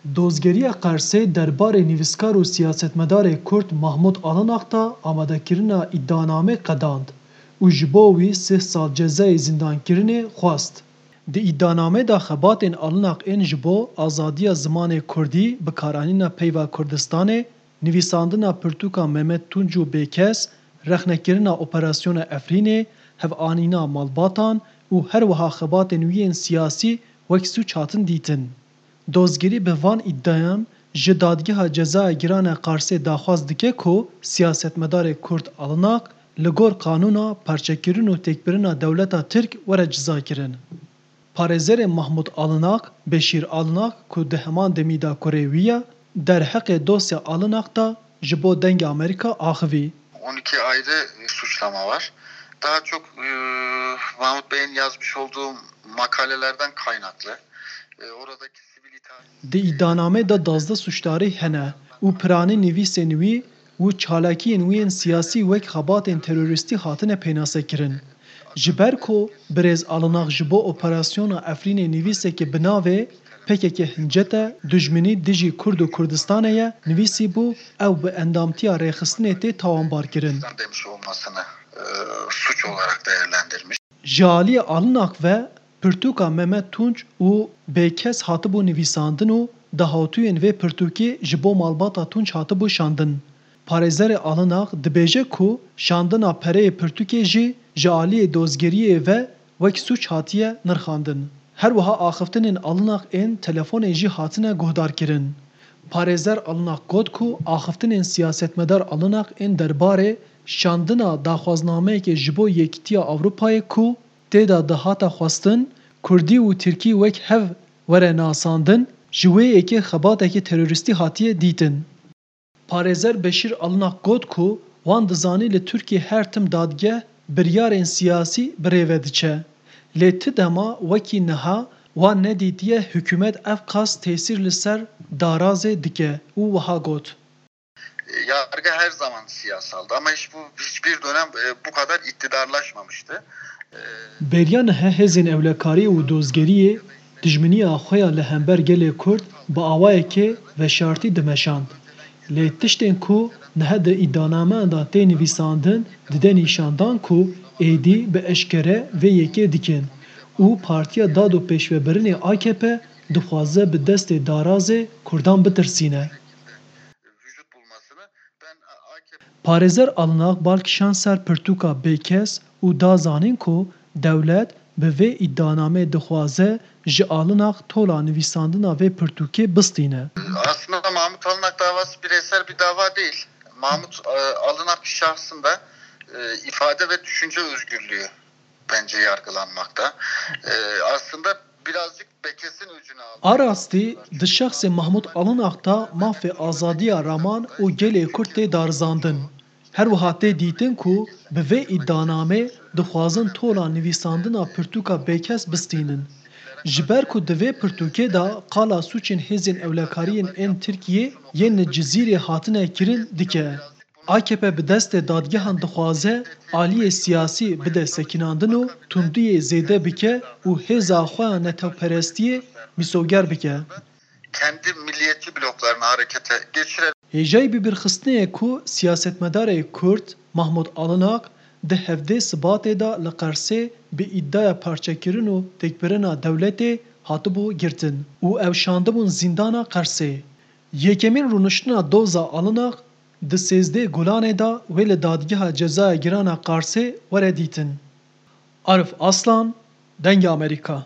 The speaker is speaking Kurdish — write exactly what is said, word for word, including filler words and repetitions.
Dozgeriya Qersê derbarê nivîskar û siyasetmedarê Kurd Mahmûd Alinak de amadekirina îdianamê qedand û ji bo wî sih sal cezayê zîndankirinê xwest. Di îdianamê de xebatên Alinak ên ji bo azadiya zimanê Kurdî, bikaranîna peyva Kurdistanê, nivîsandina pirtûka Mehmet Tunc û Bêkes, rexnekirina Operasyona Efrînê, hevanîna malbatan û her wiha xebatên wî yên siyasî wek sûc hatin dîtin. Dozgerî bi van îdiayan ji Dadgeha Cezaya Giran a Qarsê daxwaz dike ku siyasetmedarê Kurd Alinak li gor qanûna parçekirin û têkbirina dewleta Tirk were cizakirin. Parêzerê Mahmûd Alinak, Beşîr Alinak ku di heman demî de kurê wî ye, derheqê dosya Alinak de ji bo Dengê Amerîka axivî. On iki ayrı suçlama var. Daha çok e, Mahmut Bey'in yazmış olduğu makalelerden kaynaklı. E, oradaki sivil itaat Di îdianamê de duwazdeh sûcdarî hene û piranî nivîsên wî û çalakiyên wî yên siyasî wek xebatên terorîstî hatine pênasekirin. Ji ber ku birêz Alinak ji bo Operasyona Efrînê nivîsekê bi navê P K K hincet e, dijminî dijî Kurd û Kurdistanê ye, nivîsîbû, ew bi endamtiya rêxistinê tê tawanbarkirin. Demiş olmasını e, suç olarak değerlendirmiş. Ji aliyê Alinak ve pirtûka Mehmet Tunç û Bêkes hatibû nivîsandin û dahatûyên vê pirtûkê ji bo malbata Tunç hatibû şandin. Parêzerê Alinak dibêje ku şandina pereyê pirtûkê jî ji aliyê dozgeriyê ve wek sûc hatiye nirxandin. Her wiha axiftinên Alinak ên telefonê jî hatine guhdarkirin. Parêzer Alinak got ku axiftinên siyasetmedar Alinak ên derbarê şandina daxwaznameyekê ji bo Yekîtiya Ewropayê ku tê de dihata xwestin Kurdî û Tirkî wek hev were nasandin, ji wê yekê xebatekî terorîstî hatiye dîtin. Parêzer Beşîr Alinak got ku wan dizanî li Tirkiyê her tim dadgeh biryarên siyasî bi rê ve diçe. Lê ti dema wekî niha wan nedîtiye hikûmet ev qas tesîr li ser darazê dike û wiha got. Yargı her zaman siyasaldı ama hiç bu hiçbir dönem e, bu kadar iktidarlaşmamıştı. E, Beriya niha hêzên ewlekariyê û dozgeriyê dijminiya xwe ya li hember gelê Kurd bi awayekê veşartî dimeşand. Lê tiştên ku niha di îdianameyan de tê nivîsandin dide nîşandan ku êdî bi eşkere vê yekê dikin û Partiya Dad û Pêşvebirinê A K P dixwaze bi destê darazê Kurdan bitirsîne. Parêzer Alinak bal kişand ser pirtûka Bêkes û da zanîn ku dewlet bi vê îdianamê dixwaze ji Alinak tola nivîsandina vê pirtûkê bistîne. Aslında Mahmut Alinak davası bireysel bir dava değil. Mahmut e, Alinak şahsında e, ifade ve düşünce özgürlüğü bence yargılanmakta. E, aslında birazcık Bêkes'in öcünü aldı. A rastî di şexsê Mahmûd Alinak de mafê azadiya raman û gelê Kurd tê darizandin. Her wiha tê dîtin ku bi vê îdianamê dixwazin tola nivîsandina pirtûka Bêkes bistînin. Ji ber ku di vê pirtûkê de qala sûcên hêzên ewlekariyên ên Tirkiyê yên li Cizîrê hatine kirin dike. A K P bi destê dadgehan dixwaze aliyê siyasî bide sekinandin û tundiyê zêde bike û hêza xwe ya netewperestiyê mîsoger bike. Kendi milliyetçi bloklarını harekete geçirerek Hêjayî bibîrxistinê ye ku siyasetmedarê Kurd Mahmûd Alinak di hevdê Sibatê de li Qersê bi îdiaya parçekirin û têkbirina dewletê hatibû girtin û ew şandibûn zîndana Qersê. Yekemîn rûniştina doza Alinak di sêzdeh Gulanê de wê li Dadgeha Cezaya Giran a Qarsê were dîtin. Arif Aslan, Dengê Amerîka.